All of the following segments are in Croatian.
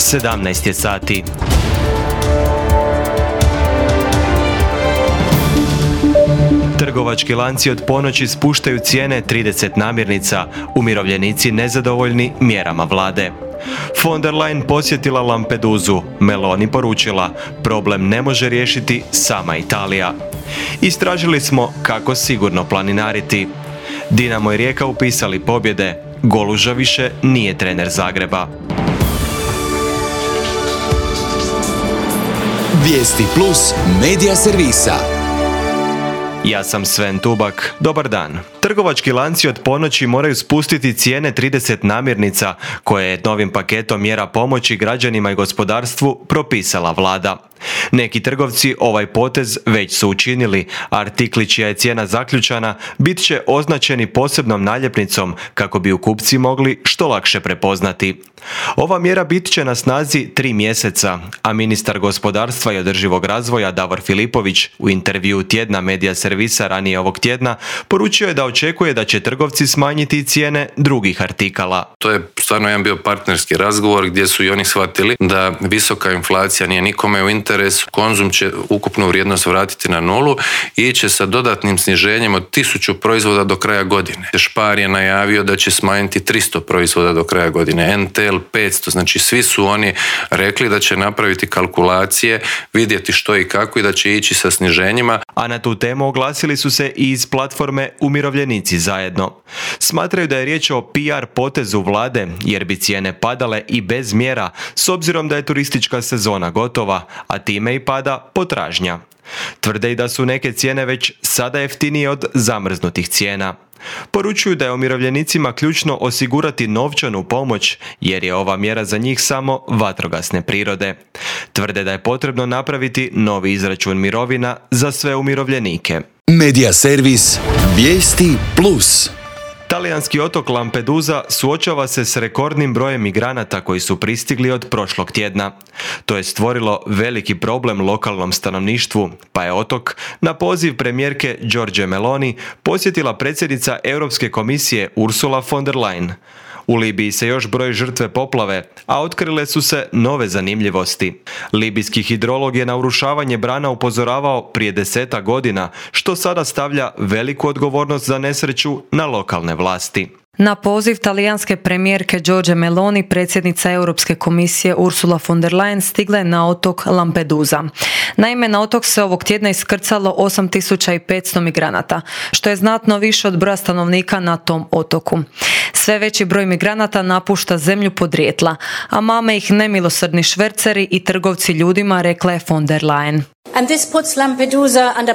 17 je sati. Trgovački lanci od ponoći spuštaju cijene 30 namirnica, umirovljenici nezadovoljni mjerama vlade. Von der Leyen posjetila Lampedusu, Meloni poručila, problem ne može riješiti sama Italija. Istražili smo kako sigurno planinariti. Dinamo i Rijeka upisali pobjede, Goluža više nije trener Zagreba. Vijesti plus medija servisa. Ja sam Sven Tubak, dobar dan. Trgovački lanci od ponoći moraju spustiti cijene 30 namirnica koje je novim paketom mjera pomoći građanima i gospodarstvu propisala vlada. Neki trgovci ovaj potez već su učinili, a artikli čija je cijena zaključana bit će označeni posebnom naljepnicom kako bi ju kupci mogli što lakše prepoznati. Ova mjera bit će na snazi 3 mjeseca, a ministar gospodarstva i održivog razvoja Davor Filipović u intervjuu tjedna medija servisa ranije ovog tjedna poručio je da očekuje da će trgovci smanjiti cijene drugih artikala. To je stvarno jedan bio partnerski razgovor gdje su i oni shvatili da visoka inflacija nije nikome u interesu. Konzum će ukupnu vrijednost vratiti na nulu i iće sa dodatnim sniženjem od 1000 proizvoda do kraja godine. Spar je najavio da će smanjiti 300 proizvoda do kraja godine, NTL 500, znači svi su oni rekli da će napraviti kalkulacije, vidjeti što i kako i da će ići sa sniženjima. A na tu temu oglasili su se i iz platforme Umirovljenici zajedno. Smatraju da je riječ o PR potezu vlade jer bi cijene padale i bez mjera s obzirom da je turistička sezona gotova, a time i pada potražnja. Tvrde i da su neke cijene već sada jeftinije od zamrznutih cijena. Poručuju da je umirovljenicima ključno osigurati novčanu pomoć jer je ova mjera za njih samo vatrogasne prirode. Tvrde da je potrebno napraviti novi izračun mirovina za sve umirovljenike. Medija servis Vijesti plus. Talijanski otok Lampedusa suočava se s rekordnim brojem migranata koji su pristigli od prošlog tjedna. To je stvorilo veliki problem lokalnom stanovništvu, pa je otok na poziv premijerke Giorgie Meloni posjetila predsjednica Europske komisije Ursula von der Leyen. U Libiji se još broji žrtve poplave, a otkrile su se nove zanimljivosti. Libijski hidrolog je na urušavanje brana upozoravao prije 10 godina, što sada stavlja veliku odgovornost za nesreću na lokalne vlasti. Na poziv talijanske premijerke Giorgie Meloni, predsjednica Europske komisije Ursula von der Leyen stigla je na otok Lampedusa. Naime, na otok se ovog tjedna iskrcalo 8500 migranata, što je znatno više od broja stanovnika na tom otoku. Sve veći broj migranata napušta zemlju podrijetla, a mame ih nemilosrdni šverceri i trgovci ljudima, rekla je von der Leyen.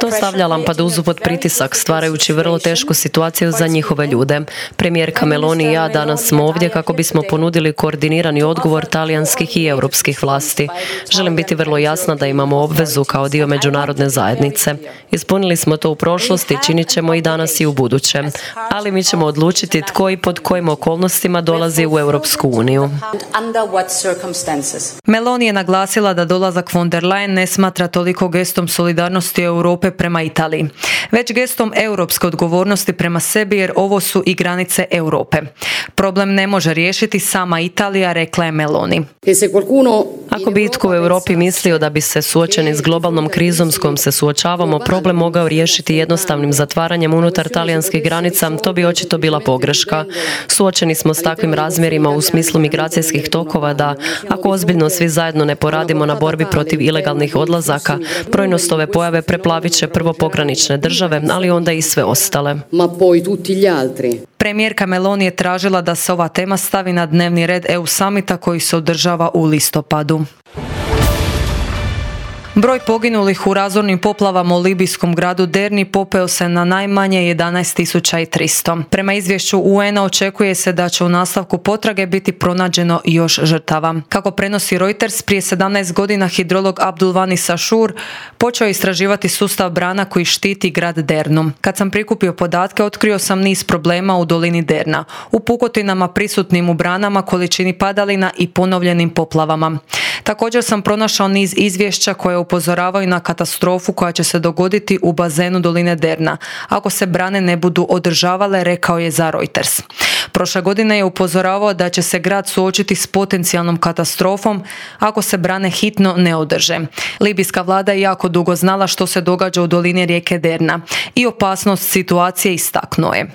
To stavlja Lampedusu pod pritisak, stvarajući vrlo tešku situaciju za njihove ljude. Premijerka Meloni i ja danas smo ovdje kako bismo ponudili koordinirani odgovor talijanskih i europskih vlasti. Želim biti vrlo jasna da imamo obvezu kao dio međunarodne zajednice. Ispunili smo to u prošlosti, činit ćemo i danas i u buduće. Ali mi ćemo odlučiti tko i pod kojim okolnostima dolazi u Europsku uniju. Meloni je naglasila da dolazak von der Leyen ne smatra toliko gestom solidarnosti Europe prema Italiji, već gestom europske odgovornosti prema sebi jer ovo su i granice Europe. Problem ne može riješiti sama Italija, rekla je Meloni. Ako bi itko u Europi mislio da bi se suočeni s globalnom krizom s kojom se suočavamo problem mogao riješiti jednostavnim zatvaranjem unutar talijanskih granica, to bi očito bila pogreška. Suočeni smo s takvim razmjerima u smislu migracijskih tokova da, ako ozbiljno svi zajedno ne poradimo na borbi protiv ilegalnih odlazaka, brojnost ove pojave preplavit će prvo pogranične države, ali onda i sve ostale. Premijerka Meloni je tražila da se ova tema stavi na dnevni red EU samita koji se održava u listopadu. Broj poginulih u razornim poplavama u libijskom gradu Derni popeo se na najmanje 11.300. Prema izvješću UN-a očekuje se da će u nastavku potrage biti pronađeno još žrtava. Kako prenosi Reuters, prije 17 godina hidrolog Abdulvani Sashur počeo istraživati sustav brana koji štiti grad Dernu. Kad sam prikupio podatke, otkrio sam niz problema u dolini Derna, u pukotinama prisutnim u branama, količini padalina i ponovljenim poplavama. Također sam pronašao niz izvješća koje upozoravaju na katastrofu koja će se dogoditi u bazenu doline Derna ako se brane ne budu održavale, rekao je za Reuters. Prošle godine je upozoravao da će se grad suočiti s potencijalnom katastrofom ako se brane hitno ne održe. Libijska vlada je jako dugo znala što se događa u dolini rijeke Derna i opasnost situacije istaknuo je.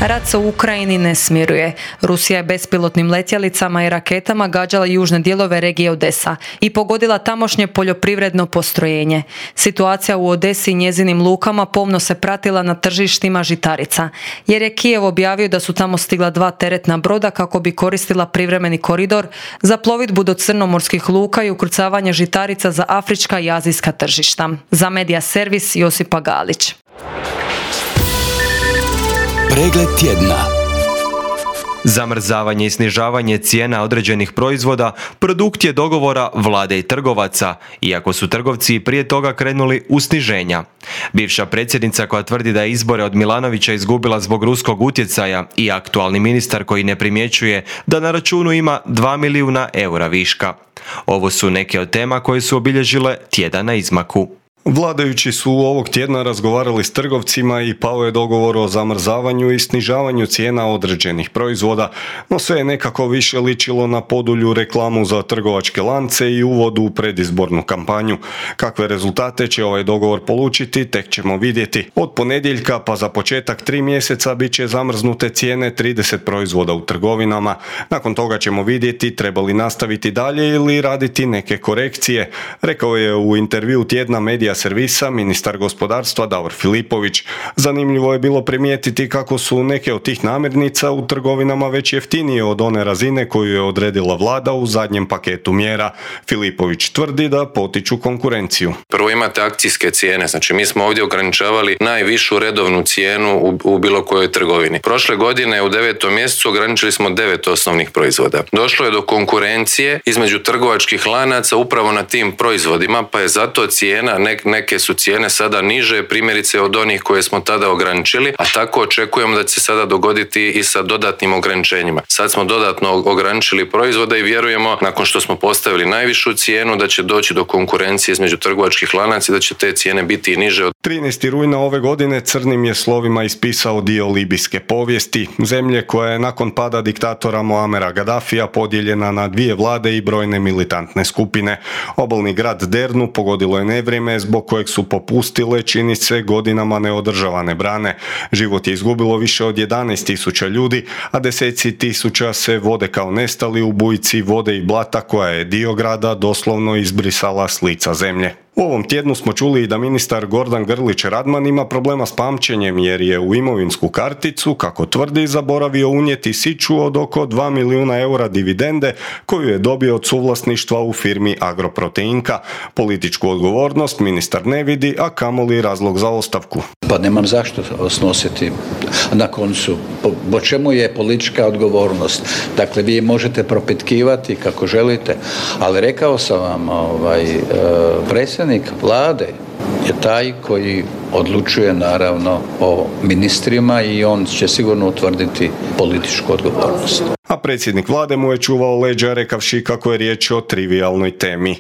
Rat se u Ukrajini ne smiruje. Rusija je bespilotnim letjelicama i raketama gađala južne dijelove regije Odesa i pogodila tamošnje poljoprivredno postrojenje. Situacija u Odesi i njezinim lukama pomno se pratila na tržištima žitarica, jer je Kijev objavio da su tamo stigla 2 teretna broda kako bi koristila privremeni koridor za plovidbu do crnomorskih luka i ukrcavanje žitarica za afrička i azijska tržišta. Za Medija servis Josipa Galić. Pregled tjedna. Zamrzavanje i snižavanje cijena određenih proizvoda produkt je dogovora vlade i trgovaca, iako su trgovci prije toga krenuli u sniženja. Bivša predsjednica koja tvrdi da je izbore od Milanovića izgubila zbog ruskog utjecaja i aktualni ministar koji ne primjećuje da na računu ima 2 milijuna eura viška. Ovo su neke od tema koje su obilježile tjedan na izmaku. Vladajući su ovog tjedna razgovarali s trgovcima i pao je dogovor o zamrzavanju i snižavanju cijena određenih proizvoda, no sve je nekako više ličilo na podulju reklamu za trgovačke lance i uvodu u predizbornu kampanju. Kakve rezultate će ovaj dogovor polučiti, tek ćemo vidjeti. Od ponedjeljka pa za početak 3 mjeseca bit će zamrznute cijene 30 proizvoda u trgovinama. Nakon toga ćemo vidjeti treba li nastaviti dalje ili raditi neke korekcije, rekao je u intervju tjedna Medija servisa ministar gospodarstva Davor Filipović. Zanimljivo je bilo primijetiti kako su neke od tih namirnica u trgovinama već jeftinije od one razine koju je odredila vlada u zadnjem paketu mjera. Filipović tvrdi da potiču konkurenciju. Prvo imate akcijske cijene, znači mi smo ovdje ograničavali najvišu redovnu cijenu u bilo kojoj trgovini. Prošle godine u 9. mjesecu ograničili smo 9 osnovnih proizvoda. Došlo je do konkurencije između trgovačkih lanaca upravo na tim proizvodima, pa je zato cijena, neke su cijene sada niže, primjerice od onih koje smo tada ograničili, a tako očekujemo da će se sada dogoditi i sa dodatnim ograničenjima. Sad smo dodatno ograničili proizvode i vjerujemo, nakon što smo postavili najvišu cijenu, da će doći do konkurencije između trgovačkih lanaca i da će te cijene biti i niže. 13. rujna ove godine crnim je slovima ispisao dio libijske povijesti, zemlje koja je nakon pada diktatora Muamera Gaddafija podijeljena na 2 vlade i brojne militantne skupine. Obalni grad Dernu pogodilo je nevrijeme zbog kojeg su popustile, čini se, godinama neodržavane brane. Život je izgubilo više od 11.000 ljudi, a deseci tisuća se vode kao nestali u bujici vode i blata koja je dio grada doslovno izbrisala s lica zemlje. U ovom tjednu smo čuli i da ministar Gordan Grlić Radman ima problema s pamćenjem jer je u imovinsku karticu, kako tvrdi, zaboravio unijeti siću od oko 2 milijuna eura dividende koju je dobio od suvlasništva u firmi Agroproteinka. Političku odgovornost ministar ne vidi, a kamoli razlog za ostavku. Pa nemam zašto snositi. Na koncu, po čemu je politička odgovornost? Dakle, vi možete propitkivati kako želite, ali rekao sam vam, predsjednik vlade je taj koji odlučuje naravno o ministrima i on će sigurno utvrditi političku odgovornost. A predsjednik vlade mu je čuvao leđa rekavši kako je riječ o trivijalnoj temi.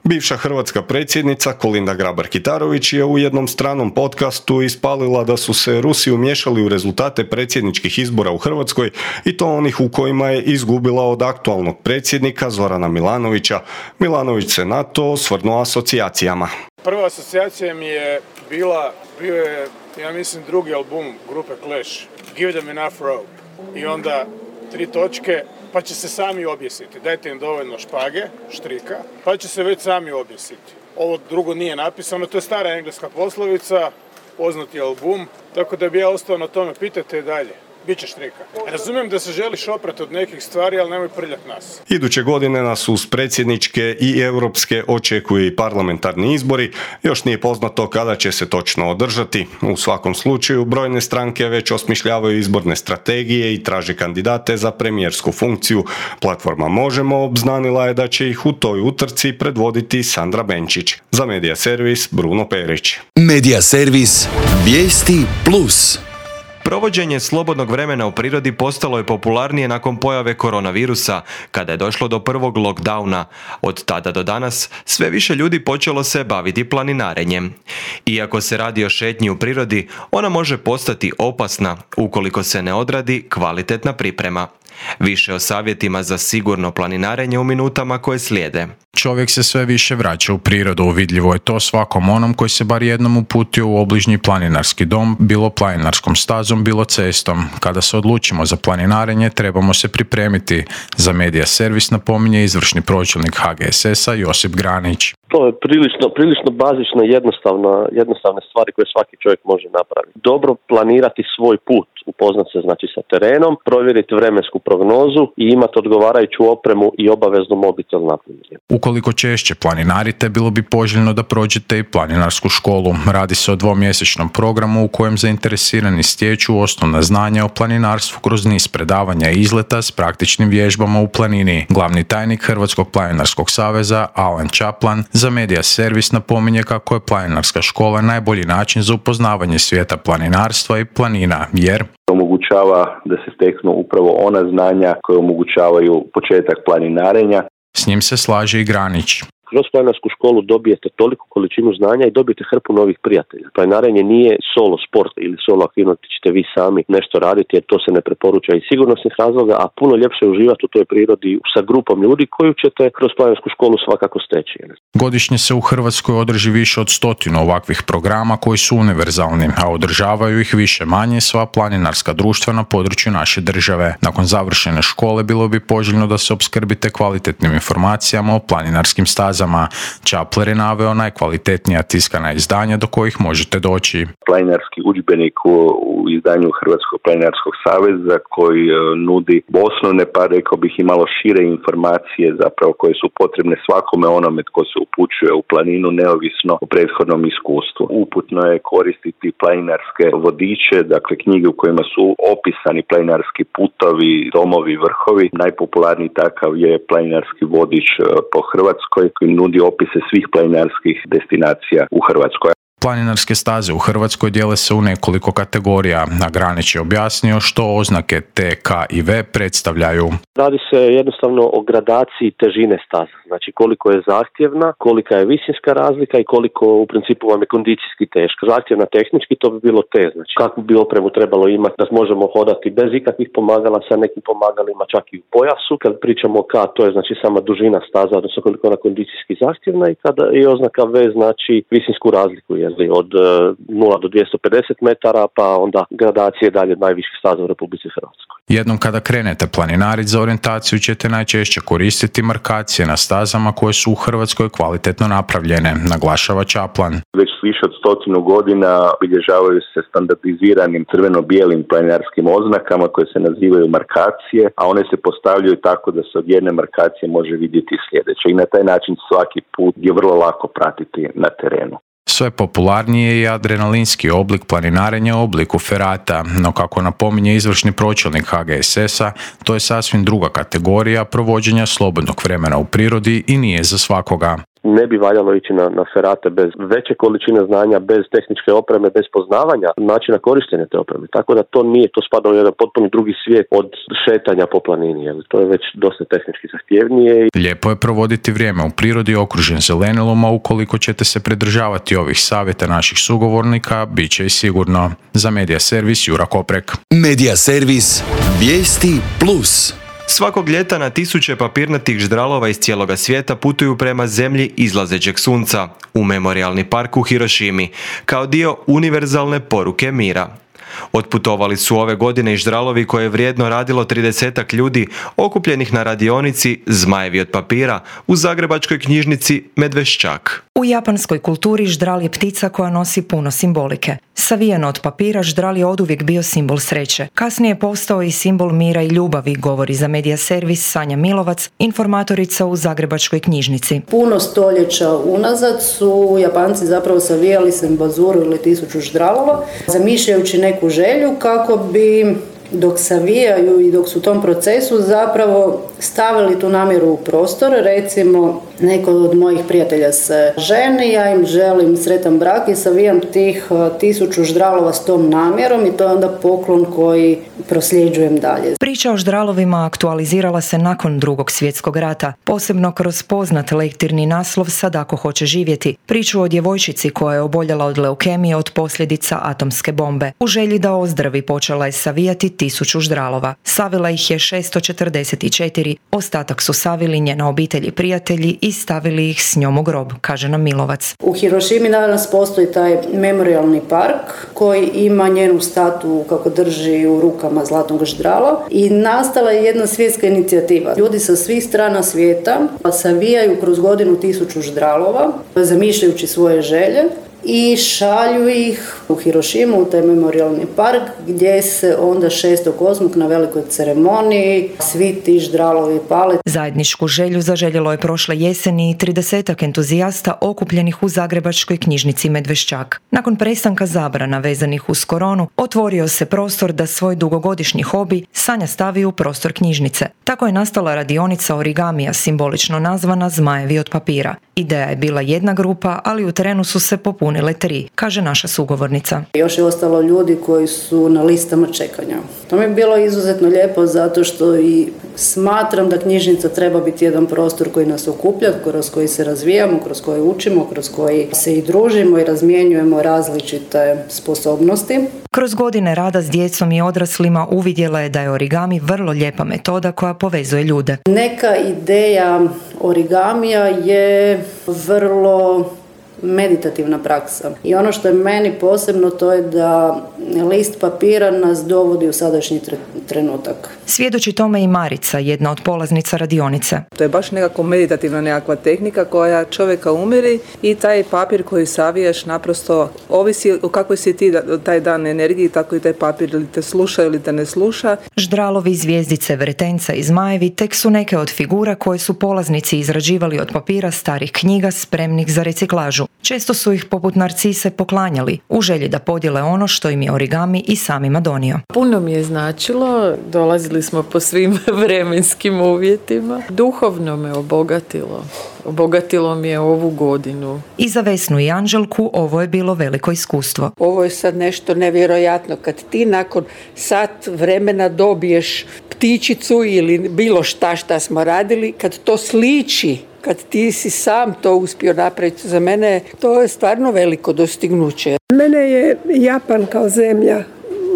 Bivša hrvatska predsjednica Kolinda Grabar-Kitarović je u jednom stranom podcastu ispalila da su se Rusi umiješali u rezultate predsjedničkih izbora u Hrvatskoj i to onih u kojima je izgubila od aktualnog predsjednika Zorana Milanovića. Milanović se na to osvrnuo asocijacijama. Prva asocijacija mi je bio je, ja mislim, drugi album grupe Clash, Give Them Enough Rope. I onda 3 točke, pa će se sami objesiti. Dajte im dovoljno špage, štrika, pa će se već sami objesiti. Ovo drugo nije napisano, to je stara engleska poslovica, poznati album, tako da bi ja ostao na tome, pitajte dalje. Biće štrika. Razumijem da se želiš oprati od nekih stvari, ali nemoj prljati nas. Iduće godine nas uz predsjedničke i europske očekuju i parlamentarni izbori. Još nije poznato kada će se točno održati. U svakom slučaju, brojne stranke već osmišljavaju izborne strategije i traže kandidate za premijersku funkciju. Platforma Možemo obznanila je da će ih u toj utrci predvoditi Sandra Benčić. Za Medija servis Bruno Perić. Medija servis Vijesti Plus. Provođenje slobodnog vremena u prirodi postalo je popularnije nakon pojave koronavirusa, kada je došlo do prvog lockdowna. Od tada do danas sve više ljudi počelo se baviti planinarenjem. Iako se radi o šetnji u prirodi, ona može postati opasna ukoliko se ne odradi kvalitetna priprema. Više o savjetima za sigurno planinarenje u minutama koje slijede. Čovjek se sve više vraća u prirodu, vidljivo je to svakom onom koji se bar jednom uputio u obližnji planinarski dom, bilo planinarskom stazom, bilo cestom. Kada se odlučimo za planinarenje, trebamo se pripremiti. Za Medija Servis napominje izvršni pročelnik HGSS-a Josip Granić. To je prilično bazično jednostavne stvari koje svaki čovjek može napraviti. Dobro planirati svoj put, upoznati se znači sa terenom, provjeriti vremensku prognozu i imati odgovarajuću opremu i obavezno mobitel napunjen. Ukoliko češće planinarite, bilo bi poželjno da prođete i planinarsku školu. Radi se o 2-mjesečnom programu u kojem zainteresirani stječu osnovna znanja o planinarstvu kroz niz predavanja i izleta s praktičnim vježbama u planini. Glavni tajnik Hrvatskog planinarskog saveza Alan Čaplan za Medija Servis napominje kako je planinarska škola najbolji način za upoznavanje svijeta planinarstva i planina, jer omogućava da se steknu upravo ona znanja koje omogućavaju početak planinarenja. S njim se slaže i Granić. Kroz planinarsku školu dobijete toliku količinu znanja i dobijete hrpu novih prijatelja. Planinarenje nije solo sport ili solo aktivnost, ćete vi sami nešto raditi jer to se ne preporuča iz sigurnosnih razloga, a puno ljepše uživati u toj prirodi sa grupom ljudi koju ćete kroz planinarsku školu svakako steći. Godišnje se u Hrvatskoj održi više od 100 ovakvih programa koji su univerzalni, a održavaju ih više manje sva planinarska društva na području naše države. Nakon završene škole bilo bi poželjno da se opskrbite kvalitetnim informacijama o planinarskim stazama. Čapler je naveo najkvalitetnija tiskana izdanja do kojih možete doći. Planinarski udžbenik u izdanju Hrvatskog planinarskog saveza koji nudi osnovne, pa rekao bih i malo šire informacije zapravo koje su potrebne svakome onome tko se upućuje u planinu neovisno o prethodnom iskustvu. Uputno je koristiti planinarske vodiče, dakle knjige u kojima su opisani planinarski putovi, domovi, vrhovi. Najpopularniji takav je planinarski vodič po Hrvatskoj koji nudi opise svih planinarskih destinacija u Hrvatskoj. Planinarske staze u Hrvatskoj dijele se u nekoliko kategorija, a Granić je objasnio što oznake T, K i V predstavljaju. Radi se jednostavno o gradaciji težine staza, znači koliko je zahtjevna, kolika je visinska razlika i koliko u principu vam je kondicijski teško. Zahtjevna tehnički to bi bilo T, znači kakvu bi opremu trebalo imati da možemo hodati bez ikakvih pomagala, sa nekim pomagalima čak i u pojasu. Kad pričamo o K, to je znači sama dužina staza, odnosno koliko je ona kondicijski zahtjevna i kada je oznaka V znači visinsku razliku od 0 do 250 metara, pa onda gradacije dalje od najviših staza u Republici Hrvatskoj. Jednom kada krenete planinariti za orijentaciju ćete najčešće koristiti markacije na stazama koje su u Hrvatskoj kvalitetno napravljene, naglašava Čaplan. Već više od 100 godina obilježavaju se standardiziranim crveno-bijelim planinarskim oznakama koje se nazivaju markacije, a one se postavljaju tako da se od jedne markacije može vidjeti sljedeće i na taj način svaki put je vrlo lako pratiti na terenu. Sve popularnije je adrenalinski oblik planinarenja u obliku ferata, no kako napominje izvršni pročelnik HGSS-a, to je sasvim druga kategorija provođenja slobodnog vremena u prirodi i nije za svakoga. Ne bi valjalo ići na ferate bez veće količine znanja, bez tehničke opreme, bez poznavanja načina korištenja te opreme. Tako da to nije, to spada u jedan potpuno drugi svijet od šetanja po planini. Jer to je već dosta tehnički zahtjevnije. Lijepo je provoditi vrijeme u prirodi okružen zelenilom, a ukoliko ćete se pridržavati ovih savjeta naših sugovornika, bit će i sigurno. Za Medija Servis Jura Koprek. Medija Servis, vijesti plus. Svakog ljeta na tisuće papirnatih ždralova iz cijeloga svijeta putuju prema zemlji izlazećeg sunca, u memorijalni park u Hirošimi, kao dio univerzalne poruke mira. Otputovali su ove godine i ždralovi koje je vrijedno radilo 30 ljudi okupljenih na radionici Zmajevi od papira u zagrebačkoj knjižnici Medveščak. U japanskoj kulturi ždral je ptica koja nosi puno simbolike. Savijeno od papira, ždral je oduvijek bio simbol sreće. Kasnije je postao i simbol mira i ljubavi, govori za Medija Servis Sanja Milovac, informatorica u zagrebačkoj knjižnici. Puno stoljeća unazad su Japanci zapravo savijali sembazuru ili 1000 ždralova, zamišljajući neku želju kako bi dok savijaju i dok su u tom procesu zapravo stavili tu namjeru u prostor. Recimo, neko od mojih prijatelja se ženi, ja im želim sretan brak i savijam tih 1000 ždralova s tom namjerom i to je onda poklon koji prosljeđujem dalje. Priča o ždralovima aktualizirala se nakon Drugog svjetskog rata, posebno kroz poznat lektirni naslov Sad ako hoće živjeti, priču o djevojčici koja je oboljela od leukemije od posljedica atomske bombe. U želji da ozdravi počela je savijati 1000 ždralova. Savila ih je 644, ostatak su savili njena obitelj i prijatelji i stavili ih s njom u grob, kaže nam Milovac. U Hirošimi danas postoji taj memorialni park koji ima njenu statu kako drži u rukama zlatnog ždrala i nastala je jedna svjetska inicijativa. Ljudi sa svih strana svijeta savijaju kroz godinu 1000 ždralova, zamišljajući svoje želje i šalju ih u Hirošimu, u taj memorialni park, gdje se onda 6.8. na velikoj ceremoniji svi ti ždralovi pale. Zajedničku želju zaželjelo je prošle jeseni 30 entuzijasta okupljenih u zagrebačkoj knjižnici Medveščak. Nakon prestanka zabrana vezanih uz koronu, otvorio se prostor da svoj dugogodišnji hobi Sanja stavi u prostor knjižnice. Tako je nastala radionica origamija, simbolično nazvana Zmajevi od papira. Ideja je bila jedna grupa, ali u terenu su se popunile 3, kaže naša sugovornica. Još je ostalo ljudi koji su na listama čekanja. To mi je bilo izuzetno lijepo zato što i smatram da knjižnica treba biti jedan prostor koji nas okuplja, kroz koji se razvijamo, kroz koji učimo, kroz koji se i družimo i razmjenjujemo različite sposobnosti. Kroz godine rada s djecom i odraslima uvidjela je da je origami vrlo lijepa metoda koja povezuje ljude. Neka ideja origamija je vrlo meditativna praksa. I ono što je meni posebno to je da list papira nas dovodi u sadašnji trenutak. Svjedoči tome i Marica, jedna od polaznica radionice. To je baš nekako meditativna nekakva tehnika koja čovjeka umiri i taj papir koji savijaš naprosto ovisi o kakvoj si ti taj dan energiji, tako i taj papir ili te sluša ili te ne sluša. Ždralovi, zvijezdice, vretenca i zmajevi tek su neke od figura koje su polaznici izrađivali od papira starih knjiga spremnih za reciklažu. Često su ih poput narcise poklanjali u želji da podijele ono što im je origami i samima donio. Puno mi je značilo, dolazili smo po svim vremenskim uvjetima. Duhovno me obogatilo mi je ovu godinu. I za Vesnu i Anđelku ovo je bilo veliko iskustvo. Ovo je sad nešto nevjerojatno kad ti nakon sat vremena dobiješ ptičicu ili bilo šta smo radili, kad to sliči, kad ti si sam to uspio napraviti, za mene to je stvarno veliko dostignuće. Mene je Japan kao zemlja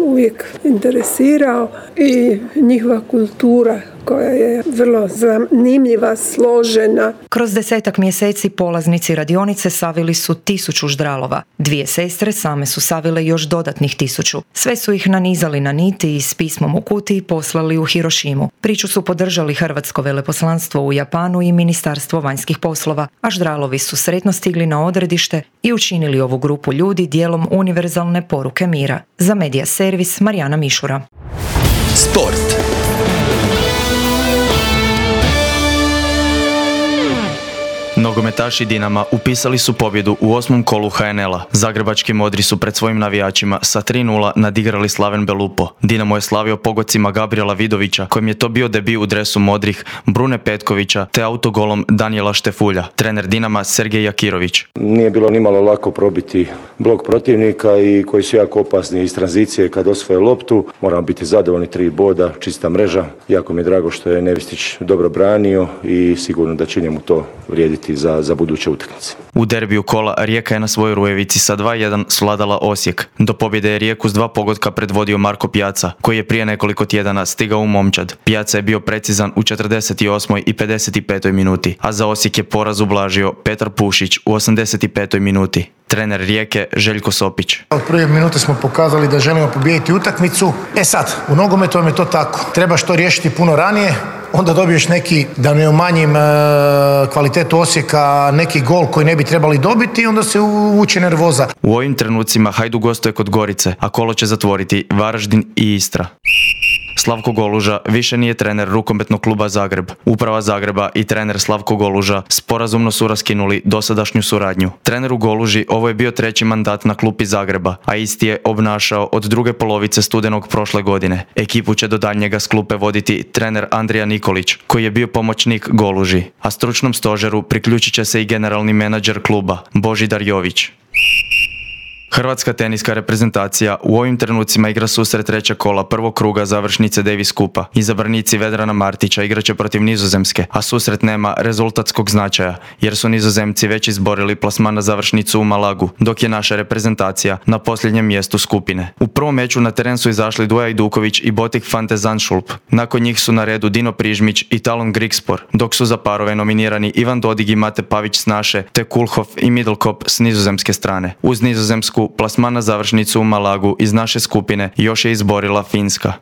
uvijek interesirao i njihova kultura koja je vrlo zanimljiva, složena. Kroz 10 mjeseci polaznici radionice savili su 1000 ždralova. 2 sestre same su savile još dodatnih 1000. Sve su ih nanizali na niti i s pismom u kutiji poslali u Hirošimu. Priču su podržali Hrvatsko veleposlanstvo u Japanu i Ministarstvo vanjskih poslova, a ždralovi su sretno stigli na odredište i učinili ovu grupu ljudi dijelom univerzalne poruke mira. Za Medija servis Marijana Mišura. Sport. Nogometaši Dinama upisali su pobjedu u 8. kolu HNL-a. Zagrebački modri su pred svojim navijačima sa 3:0 nadigrali Slaven Belupo. Dinamo je slavio pogodcima Gabriela Vidovića, kojem je to bio debiju u dresu modrih, Brune Petkovića te autogolom Danijela Štefulja. Trener Dinama Sergej Jakirović. Nije bilo nimalo lako probiti blok protivnika i koji su jako opasni iz tranzicije kad osvoje loptu. Moramo biti zadovoljni, 3 boda, čista mreža. Jako mi je drago što je Nevistić dobro branio i sigurno da će njemu to vrijediti za buduće utakmice. U derbiju kola Rijeka je na svojoj Rujevici sa 2:1 svladala Osijek. Do pobjede je Rijeku s 2 pogotka predvodio Marko Pjaca, koji je prije nekoliko tjedana stigao u momčad. Pjaca je bio precizan u 48. i 55. minuti, a za Osijek je poraz ublažio Petar Pušić u 85. minuti. Trener Rijeke Željko Sopić. Od prve minute smo pokazali da želimo pobijediti utakmicu. Sad, u nogometu vam je to tako. Trebaš to riješiti puno ranije, onda dobiješ neki, da ne umanjim kvalitetu Osijeka, neki gol koji ne bi trebali dobiti i onda se uvuče nervoza. U ovim trenucima Hajduk gostuje kod Gorice, a kolo će zatvoriti Varaždin i Istra. Slavko Goluža više nije trener rukometnog kluba Zagreb. Uprava Zagreba i trener Slavko Goluža sporazumno su raskinuli dosadašnju suradnju. Treneru Goluži ovo je bio 3. mandat na klupi Zagreba, a isti je obnašao od druge polovice studenog prošle godine. Ekipu će do daljnjega s klupe voditi trener Andrija Nikolić, koji je bio pomoćnik Goluži, a stručnom stožeru priključit će se i generalni menadžer kluba, Božidar Jović. Hrvatska teniska reprezentacija u ovim trenucima igra susret 3. kola prvog kruga završnice Davis Kupa. Izabranici Vedrana Martića igraće protiv Nizozemske, a susret nema rezultatskog značaja, jer su Nizozemci već izborili plasman na završnicu u Malagu, dok je naša reprezentacija na posljednjem mjestu skupine. U prvom meču na teren su izašli Duja Ajduković i Botik van de Zandschulp. Nakon njih su na redu Dino Prižmić i Talon Grigspor, dok su za parove nominirani Ivan Dodig i Mate Pavić s naše, te Kulhoff i Middlekop s nizozemske strane. Uz Nizozemsku plasman na završnicu u Malagu iz naše skupine još je izborila Finska.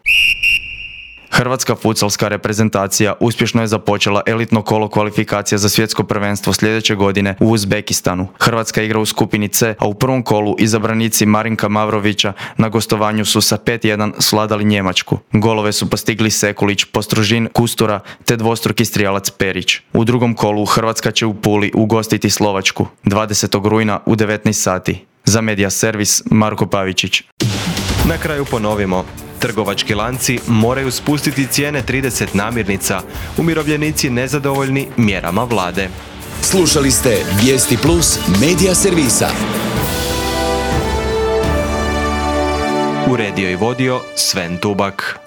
Hrvatska futsalska reprezentacija uspješno je započela elitno kolo kvalifikacija za svjetsko prvenstvo sljedeće godine u Uzbekistanu. Hrvatska igra u skupini C, a u prvom kolu izabranici Marinka Mavrovića na gostovanju su sa 5-1 sladali Njemačku. Golove su postigli Sekulić, Postružin, Kustura te dvostruki strijelac Perić. U drugom kolu Hrvatska će u Puli ugostiti Slovačku 20. rujna u 19 sati. Za Media Servis, Marko Pavičić. Na kraju ponovimo. Trgovački lanci moraju spustiti cijene 30 namirnica, umirovljenici nezadovoljni mjerama vlade. Slušali ste Vijesti Plus Media Servisa. Uredio i vodio Sven Tubak.